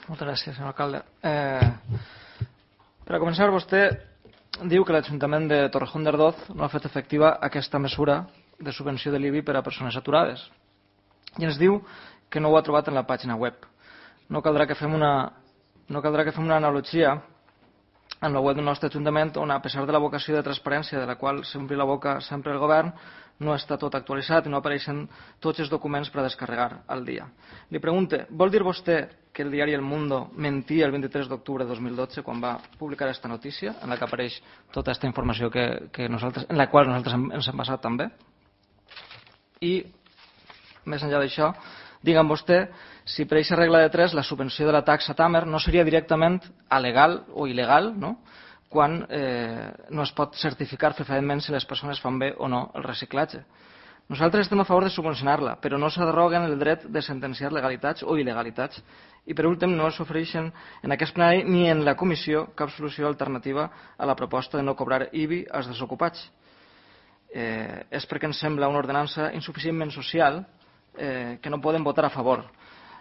Moltes gràcies, senyor alcalde. Per a començar, vostè diu que l'Ajuntament de Torrejón de Ardoz no ha fet efectiva aquesta mesura de subvenció de l'IBI per a persones aturades. I ens diu que no ho ha trobat en la pàgina web. No caldrà que fem una analogia en la web del nostre Ajuntament, on a pesar de la vocació de transparència de la qual s'ompli la boca sempre el govern, no està tot actualitzat i no apareixen tots els documents per a descarregar al dia. Li pregunte, vol dir vostè que el diari El Mundo mentia el 23 d'octubre de 2012 quan va publicar aquesta notícia en la que apareix tota aquesta informació en la qual nosaltres ens hem basat també? I, més enllà d'això, digue'm vostè si per aquesta regla de 3 la subvenció de la taxa Tamer no seria directament alegal o il·legal, no? Quan no es pot certificar fefaentment si les persones fan bé o no el reciclatge. Nosaltres estem a favor de subvencionar-la, però no s'arroguen el dret de sentenciar legalitats o il·legalitats. I per últim, no s'ofereixen en aquest plenari ni en la comissió cap solució alternativa a la proposta de no cobrar IBI als desocupats. És perquè ens sembla una ordenança insuficientment social que no poden votar a favor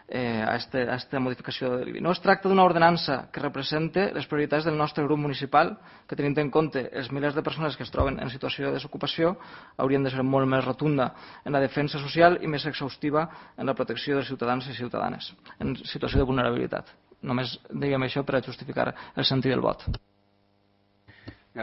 a aquesta modificació de l'IBI. No es tracta d'una ordenança que represente les prioritats del nostre grup municipal, que tenint en compte els milers de persones que es troben en situació de desocupació haurien de ser molt més rotunda en la defensa social i més exhaustiva en la protecció dels ciutadans i ciutadanes en situació de vulnerabilitat. Només diguem això per a justificar el sentit del vot.